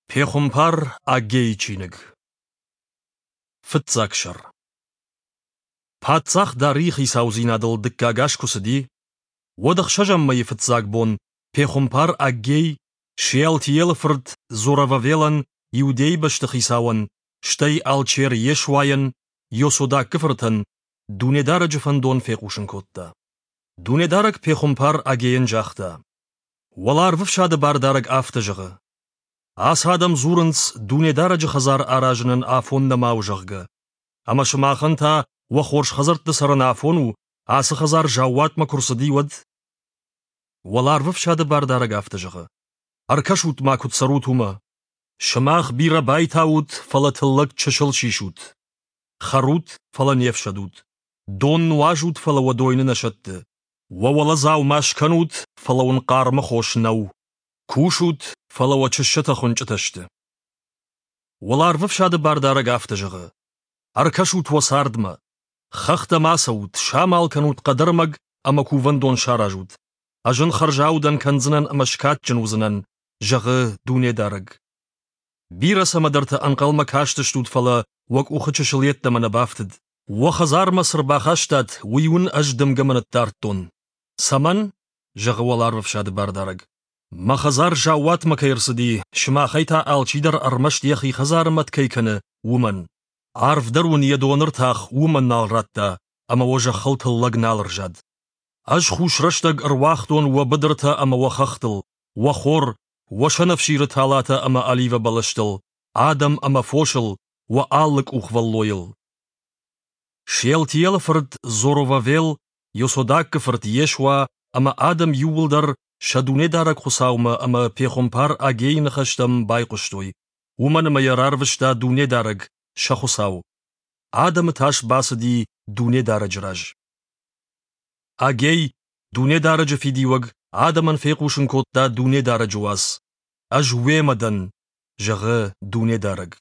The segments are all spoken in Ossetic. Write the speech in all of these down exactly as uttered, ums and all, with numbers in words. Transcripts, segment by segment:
Пехуымпар Аггейы чиныг. Фыццаг сӕр. Паддзах Дарийы хицаудзинадыл дыккаг аз куы цыди, уӕд ӕхсӕзӕм мӕйы фыццаг бон пехуымпар Аггей Шеалтиелы фырт Зоровавелӕн, Иудейы бӕстыхицауӕн, стӕй алчер Йешуайӕн, Иосодакы фыртӕн, Дунедарӕджы фӕндон фехъусын кодта. Дунедарӕг пехуымпар Аггейӕн загъта: Уӕларвӕфсады Бардарӕг афтӕ зӕгъы: Ацы адӕм дзурынц, Дунедарӕджы хӕдзар аразынӕн афон нӕма у, зӕгъгӕ. Ӕмӕ сымахӕн та уӕ хорз хӕдзӕртты цӕрын афон у, ацы хӕдзар заууатмӕ куы рцыди, уӕд? Уӕларвӕфсады Бардарӕг афтӕ зӕгъы: Ӕркӕсут-ма, куыд цӕрут, уымӕ. Сымах бирӕ байтаут, фӕлӕ тыллӕг чысыл сисут. Хӕрут, фӕлӕ не фсӕдут. Дон нуазут, фӕлӕ уӕ дойны нӕ сӕтты. Уӕ уӕлӕ дзаума скӕнут, фӕлӕ уын хъармы хос нӕу. Кусут, фӕлӕ уӕ чыссӕтӕ хуынчъытӕ сты. Уӕларвӕфсады Бардарӕг афтӕ зӕгъы: Ӕркӕсут уӕ цардмӕ. Хӕхтӕм ацӕут, самал кӕнут хъӕдӕрмӕг ӕмӕ кувӕндон саразут. Ӕз ын хӕрзаудӕн кӕндзынӕн ӕмӕ скадджын уыдзынӕн, зӕгъы Дунедарӕг. Бирӕ цӕмӕдӕрты ӕнхъӕлмӕ кастыстут, фӕлӕ уӕ къухы чысыл йеддӕмӕ нӕ бафтыд. Уӕ хӕдзармӕ цы рбахастат, уый уын ӕз дымгӕмӕ ныддардтон. Цӕмӕн? зӕгъы уӕларвӕфсады Бардарӕг. Мӕ хӕдзар заууатмӕ кӕй ӕрцыди, сымахӕй та алчидӕр ӕрмӕст йӕхи хӕдзары мӕт кӕй кӕны, уымӕн. Арв дӕр уын йӕ доны ртах уымӕн нал радта, ӕмӕ уӕ зӕххыл тыллӕг нал ӕрзад. Ӕз хус рӕстӕг ӕруагътон уӕ быдыртӕ ӕмӕ уӕ хӕхтыл, уӕ хор, уӕ сӕнӕфсиры талатӕ ӕмӕ оливӕ бӕлӕстыл, адӕм ӕмӕ фосыл, уӕ алы къухвӕллойыл. Шеалтиелы фырт Зоровавел, Йосодакы фырт Йешуа ӕмӕ адӕм иууылдӕр сӕ Дунедарӕг Хуыцаумӕ ӕмӕ пехуымпар Аггейы ныхӕстӕм байхъуыстой, уымӕн ӕмӕ йӕ рарвыста Дунедарӕг, сӕ Хуыцау. Адӕмы тас бацыди Дунедарӕджы раз. Аггей, Дунедарӕджы фидиуӕг, адӕмӕн фехъусын кодта Дунедарӕджы уац: «Ӕз уемӕ дӕн», зӕгъы Дунедарӕг.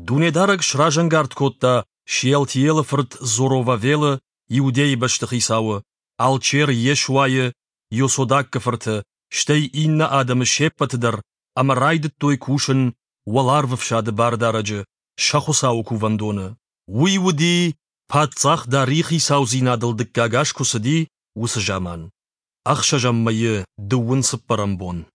Дунедарӕг сразӕнгард кодта Шеалтиелы фырт Зоровавелы, Иудейы бӕстыхицауы, алчер Йешуайы, Йосодакы фырты, стӕй иннӕ адӕмы се ппӕты дӕр, ӕмӕ райдыдтой кусын Уӕларвӕфсады Бардарӕджы, сӕ Хуыцауы кувӕндоны. Уый уыди, паддзах Дарийы хицаудзинадыл дыккаг аз куы цыди, уыцы заман. Ӕхсӕзӕм мӕйы дыууын цыппӕрӕм бон.